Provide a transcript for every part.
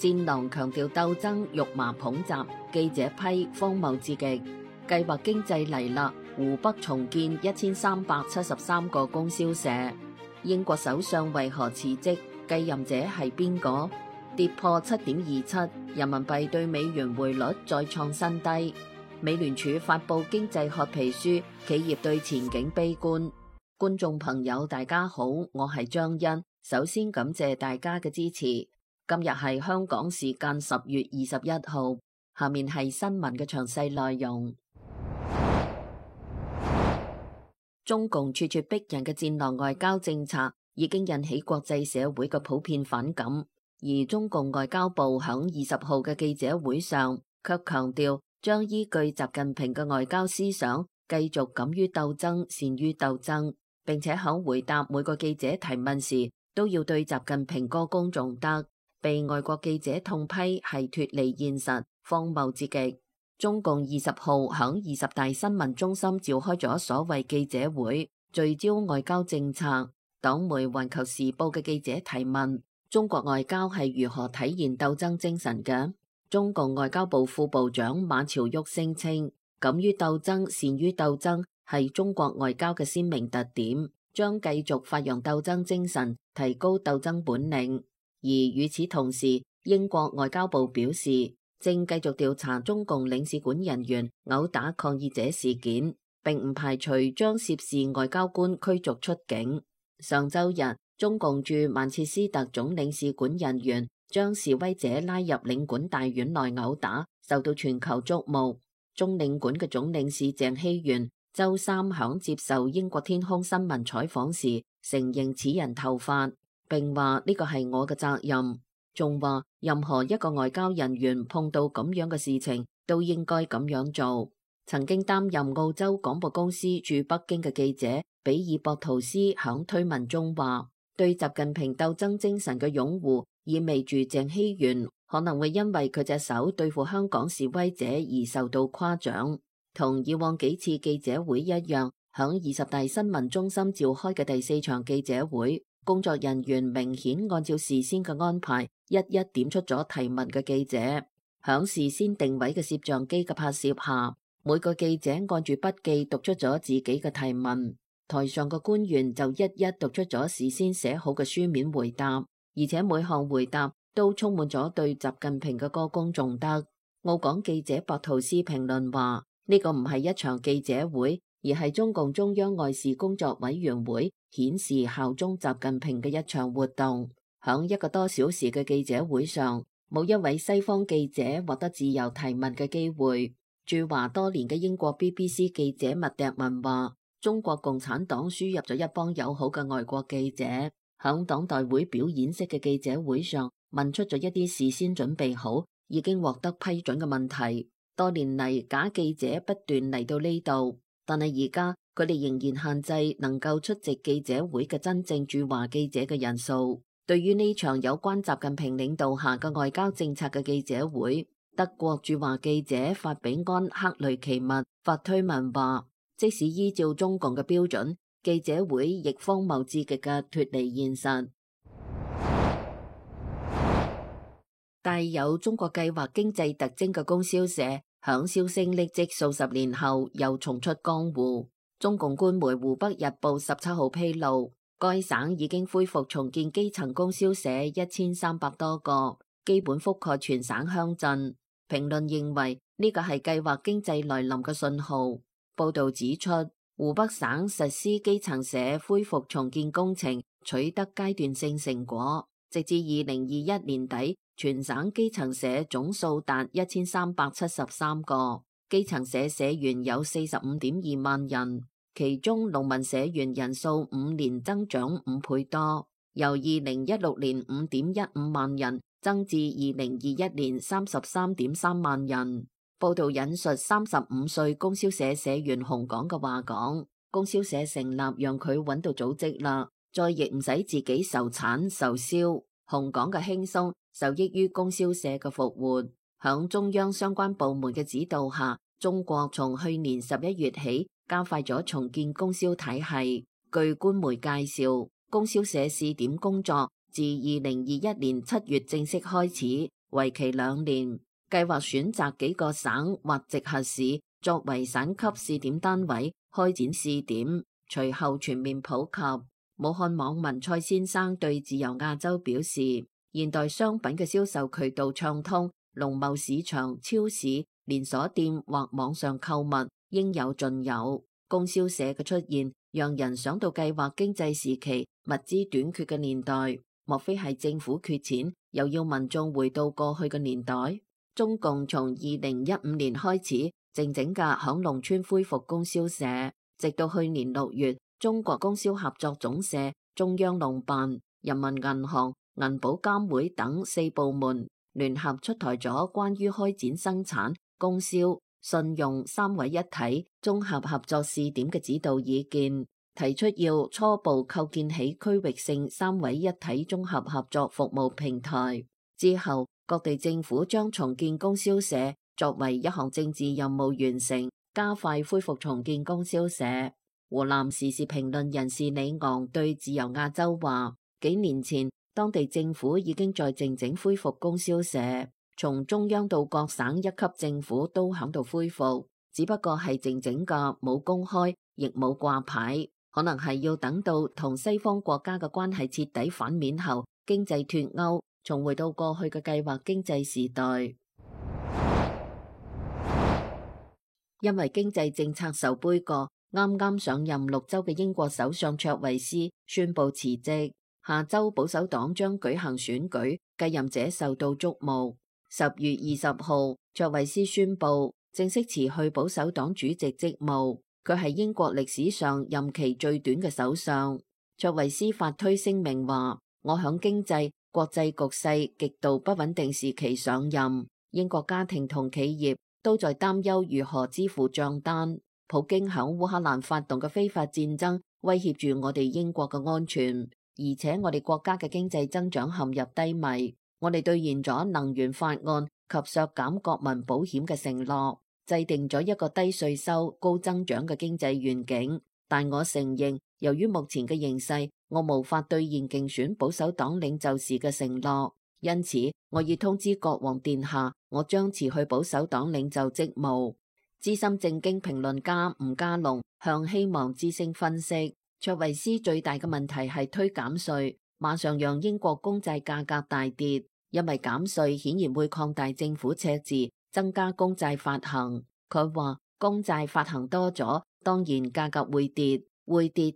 戰狼強調鬥爭，肉麻捧襲，記者批荒謬至極。計劃經濟嚟啦，湖北重建1373個供銷社。英國首相為何辭職？繼任者係邊個？跌破7.27，人民幣對美元匯率再創新低。美聯儲發布經濟褐皮書，企業對前景悲觀。觀眾朋友大家好，我係張欣，首先感謝大家嘅支持。今日係香港時間10月21號，下面係新聞嘅詳細內容。中共咄咄逼人嘅戰狼外交政策已經引起國際社會嘅普遍反感，而中共外交部響20號嘅記者會上卻強調將依據習近平嘅外交思想，繼續敢於鬥爭、善於鬥爭，並且響回答每個記者提問時都要對習近平歌功頌德，被外國記者痛批係脫離現實、荒謬至極。中共20號響20大新聞中心召開咗所謂記者會，聚焦外交政策。黨媒《環球時報》嘅記者提問：中國外交係如何體現鬥爭精神嘅？中共外交部副部長馬朝旭聲稱，敢於鬥爭、善於鬥爭係中國外交嘅鮮明特點，將繼續發揚鬥爭精神，提高鬥爭本領。而與此同時，英國外交部表示，正繼續調查中共領事館人員毆打抗議者事件，並唔排除將涉事外交官驅逐出境。上周日，中共駐曼徹斯特總領事館人員將示威者拉入領館大院內毆打，受到全球矚目。中領館嘅總領事鄭希元周三響接受英國天空新聞採訪時承認此人頭髮，並話呢個係我嘅責任。仲話任何一個外交人員碰到咁樣嘅事情都應該咁樣做。曾經擔任澳洲廣播公司駐北京嘅記者比爾博圖斯響推文中話，對習近平鬥爭精神嘅擁護意味住鄭希元可能會因為佢隻手對付香港示威者而受到誇獎。同以往幾次記者會一樣，響20大新聞中心召開嘅第4場記者會，工作人員明顯按照事先嘅安排，一一點出咗提問嘅記者。響事先定位嘅攝像機嘅拍攝下，每個記者按住筆記讀出咗自己嘅提問，台上嘅官員就一一讀出咗事先寫好嘅書面回答，而且每項回答都充滿咗對習近平嘅歌功頌德。澳廣記者博圖斯評論話，呢個唔係一場記者會，而係中共中央外事工作委員會顯示效忠習近平嘅一場活動。響1個多小時嘅記者會上，冇一位西方記者獲得自由提問嘅機會。駐華多年嘅英國 BBC 記者麥迪文話，中國共產黨輸入咗一幫友好嘅外國記者，響黨代會表演式嘅記者會上問出咗一啲事先準備好、已經獲得批准嘅問題。多年嚟，假記者不斷嚟到呢度，但係而家佢哋仍然限制能夠出席記者會嘅真正駐華記者嘅人數。對於呢場有關習近平領導下嘅外交政策嘅記者會，德國駐華記者法比安克雷奇密發推文話，即使依照中共嘅標準，記者會亦荒謬至極嘅脫離現實。帶有中國計劃經濟特徵嘅供銷社響銷聲匿跡數十年後又重出江湖。中共官媒湖北日報17號披露，該省已經恢復重建基層供銷社1300多個，基本覆蓋全省鄉鎮。評論認為呢個係計劃經濟來臨嘅信號。報道指出，湖北省實施基層社恢復重建工程取得階段性成果，直至2021年底，全省基層社總數達1373個，基層社社員有45.2萬人，其中農民社員人數5年增長5倍多，由2016年5.15萬人增至2021年33.3萬人。報道引述35歲供銷社社員洪港嘅話講，供銷社成立讓佢揾到組織啦，再亦唔使自己受產受銷。洪港嘅輕鬆受益於供銷社嘅復活。響中央相關部門嘅指導下，中國從去年11月起加快咗重建供銷體系。據官媒介紹，供銷社試點工作自2021年7月正式開始，為期2年，計劃選擇幾個省或直轄市作為省級試點單位開展試點，隨後全面普及。武漢網民蔡先生對自由亞洲表示，現代商品嘅銷售渠道暢通，農貿市場、超市、連鎖店或網上購物應有盡有。供銷社嘅出現，讓人想到計劃經濟時期物資短缺嘅年代，莫非係政府缺錢，又要民眾回到過去嘅年代？中共從2015年開始靜靜嘅響農村恢復供銷社，直到去年6月，中國供銷合作總社、中央農辦、人民銀行、銀保監會等4部門聯合出台咗關於開展生產、供銷、信用3位一體綜合合作試點嘅指導意見，提出要初步構建起區域性3位一體綜合合作服務平台。之後，各地政府將重建供銷社作為一項政治任務完成，加快恢復重建供銷社。湖南時事評論人士李昂對自由亞洲話：幾年前，當地政府已經在靜靜恢復供銷社，從中央到各省一級政府都響度恢復，只不過係靜靜嘅冇公開，亦冇掛牌，可能係要等到同西方國家嘅關係徹底反面後，經濟脫鈎，重回到過去嘅計劃經濟時代。因為經濟政策受杯葛，啱啱上任6週嘅英國首相卓慧思宣布辭職，下週保守黨將舉行選舉，繼任者受到矚目。10月20號，卓慧思宣布正式辭去保守黨主席職務，佢係英國歷史上任期最短嘅首相。卓慧思發推聲明話：我響經濟、國際局勢極度不穩定時期上任，英國家庭同企業都在擔憂如何支付賬單。普京響烏克蘭發動嘅非法戰爭威脅住我哋英國嘅安全，而且我哋國家嘅經濟增長陷入低迷。我哋兌現咗能源法案及削減國民保險嘅承諾，制定咗一個低稅收、高增長嘅經濟願景。但我承認，由於目前嘅形勢，我無法兌現競選保守黨領袖時嘅承諾，因此我已通知國王殿下，我將辭去保守黨領袖職務。資深政經評論家吳家龍向希望之聲分析，卓慧思最大嘅問題係推減稅，馬上讓英國公債價格大跌，因為減稅顯然會擴大政府赤字，增加公債發行。佢話公債發行多咗，當然價格會跌，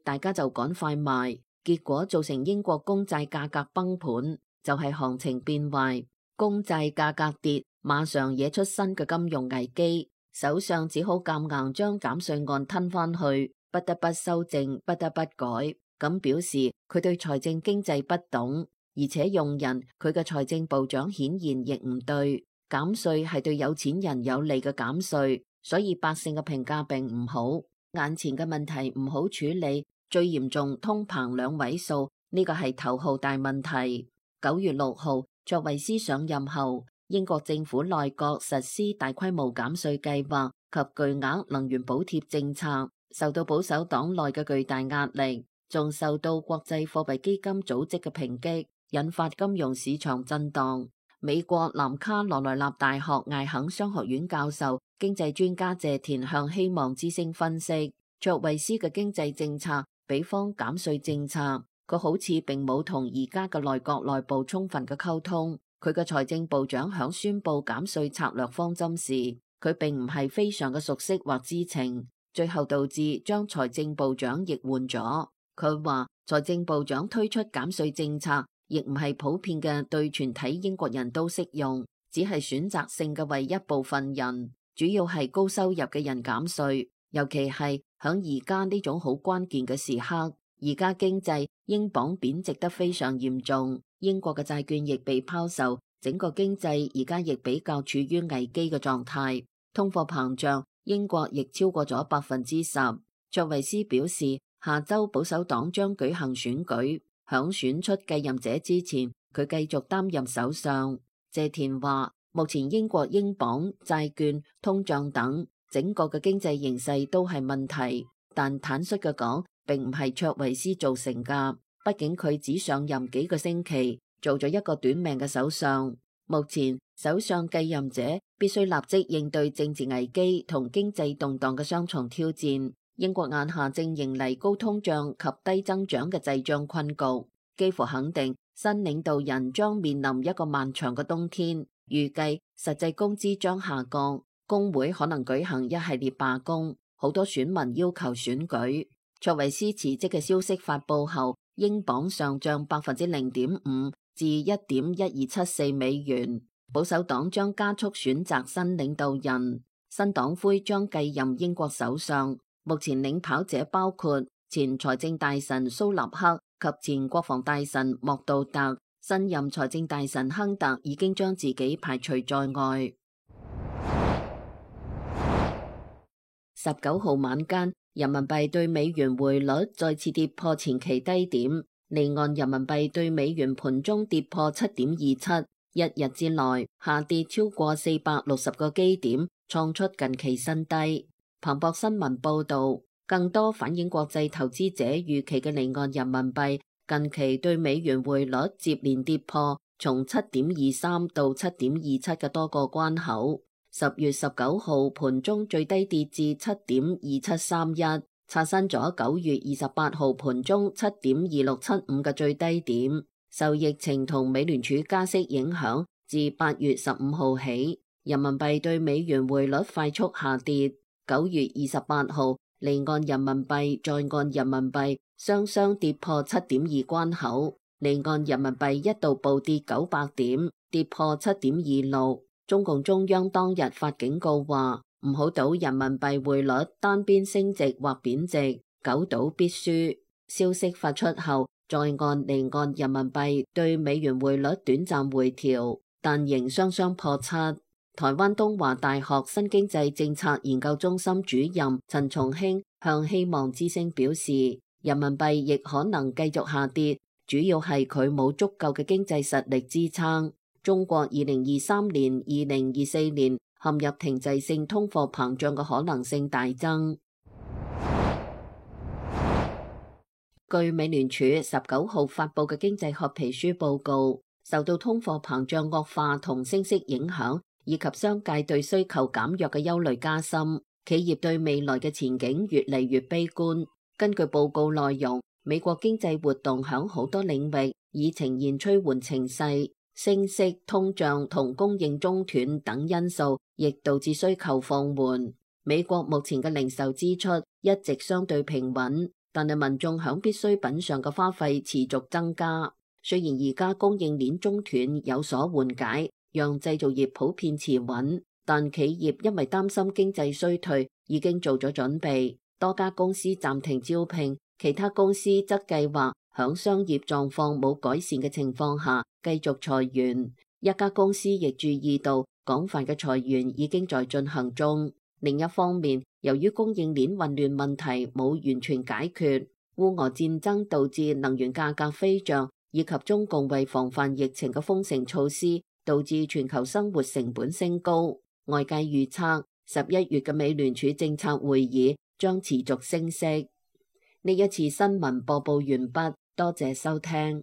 大家就趕快賣，結果造成英國公債價格崩盤，就係行情變壞，公債價格跌，馬上惹出新嘅金融危機。首相只好夾硬將減稅案吞返去，不得不修正，不得不改。咁表示佢對財政經濟不懂，而且用人佢嘅財政部長顯然亦唔對。減稅係對有錢人有利嘅減稅，所以百姓嘅評價並唔好。眼前嘅問題唔好處理，最嚴重通膨2位數，呢個係頭號大問題。9月6號，卓慧思上任後，英國政府內閣實施大規模減稅計劃及巨額能源補貼政策，受到保守黨內嘅巨大壓力，仲受到國際貨幣基金組織嘅抨擊，引發金融市場震盪。美國南卡羅來納大學艾肯商學院教授、經濟專家謝田向希望之聲分析，卓慧思嘅經濟政策比方減稅政策，佢好似並冇同而家嘅內閣內部充分嘅溝通。佢嘅財政部長響宣布減稅策略方針時，佢並唔係非常嘅熟悉或知情，最後導致將財政部長亦換咗。佢話財政部長推出減稅政策，亦唔係普遍嘅對全體英國人都適用，只係選擇性嘅為一部分人，主要係高收入嘅人減稅，尤其係響而家呢種好關鍵嘅時刻。而家經濟英鎊貶值得非常嚴重，英國嘅債券亦被拋售，整個經濟而家亦比較處於危機嘅狀態。通貨膨脹，英國亦超過咗10%。卓慧思表示，下周保守黨將舉行選舉，響選出繼任者之前，佢繼續擔任首相。謝田話，目前英國英鎊、債券、通脹等整個嘅經濟形勢都係問題，但坦率嘅講，並唔係卓慧思造成㗎，畢竟佢只上任幾個星期，做咗一個短命嘅首相。目前首相繼任者必須立即應對政治危機同經濟動盪嘅雙重挑戰。英國眼下正迎嚟高通脹及低增長嘅滯脹困局，幾乎肯定新領導人將面臨一個漫長嘅冬天。預計實際工資將下降，工會可能舉行一系列罷工，好多選民要求選舉。卓維斯辭職嘅消息發佈後，英鎊上漲0.5%至1.1274美元。保守黨將加速選擇新領導人，新黨魁將繼任英國首相。目前領跑者包括前財政大臣蘇納克及前國防大臣莫杜特。新任財政大臣亨特已經將自己排除在外。19號晚間，人民幣對美元匯率再次跌破前期低點，離岸人民幣對美元盤中跌破7.27，一日之內下跌超過460個基點，創出近期新低。彭博新聞報道，更多反映國際投資者預期嘅離岸人民幣近期對美元匯率接連跌破從7.23到7.27嘅多個關口。10月19號盤中最低跌至7.2731，刷新咗9月28號盤中7.2675嘅最低點。受疫情同美聯儲加息影響，自8月15號起，人民幣對美元匯率快速下跌。9月28號，離岸人民幣、在岸人民幣雙雙跌破7.2關口，離岸人民幣一度暴跌900點，跌破7.26。中共中央當日發警告話，唔好賭人民幣匯率單邊升值或貶值，久賭必輸。消息發出後，在岸離岸人民幣對美元匯率短暫回調，但仍雙雙破7。台灣東華大學新經濟政策研究中心主任陳松興向希望之聲表示，人民幣亦可能繼續下跌，主要係佢冇足夠嘅經濟實力支撐。中國2023年、2024年陷入停滯性通貨膨脹嘅可能性大增。據美聯儲19號發布嘅經濟學皮書報告，受到通貨膨脹惡化同升息影響，以及商界對需求減弱嘅憂慮加深，企業對未來嘅前景越嚟越悲觀。根據報告內容，美國經濟活動響好多領域已呈現趨緩情勢。升息、通脹同供應中斷等因素，亦導致需求放緩。美國目前嘅零售支出一直相對平穩，但係民眾響必需品上嘅花費持續增加。雖然而家供應鏈中斷有所緩解，讓製造業普遍持穩，但企業因為擔心經濟衰退，已經做咗準備。多家公司暫停招聘，其他公司則計劃響商業狀況冇改善嘅情況下繼續裁員。一家公司亦注意到廣泛嘅裁員已經在進行中。另一方面，由於供應鏈混亂問題冇完全解決，烏俄戰爭導致能源價格飛漲，以及中共為防範疫情嘅封城措施，導致全球生活成本升高。外界預測11月嘅美聯儲政策會議將持續升息。呢一次新聞播報完畢，多謝收聽。